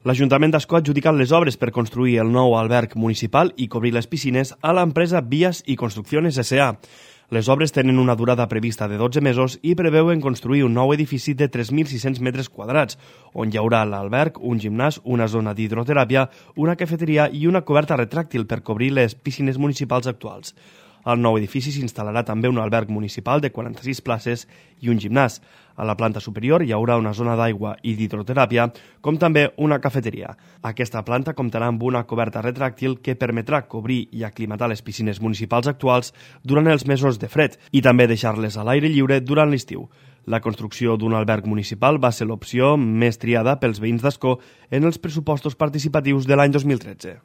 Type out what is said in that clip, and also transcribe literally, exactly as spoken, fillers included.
L'Ajuntament d'Ascó ha adjudicat les obres per construir el nou alberg municipal i cobrir les piscines a l'empresa Vías i Construcciones S A Les obres tenen una durada prevista de dotze mesos i preveuen construir un nou edifici de tres mil sis-cents metres quadrats, on hi haurà l'alberg, un gimnàs, una zona d'hidroteràpia, una cafeteria i una coberta retràctil per cobrir les piscines municipals actuals. Al nou edifici s'instal·larà també un alberg municipal de quaranta-sis places i un gimnàs. A la planta superior hi haurà una zona d'aigua i d'hidroteràpia, com també una cafeteria. Aquesta planta comptarà amb una coberta retràctil que permetrà cobrir i aclimatar les piscines municipals actuals durant els mesos de fred i també deixar-les a l'aire lliure durant l'estiu. La construcció d'un alberg municipal va ser l'opció més triada pels veïns d'Ascó en els pressupostos participatius de l'any dos mil tretze.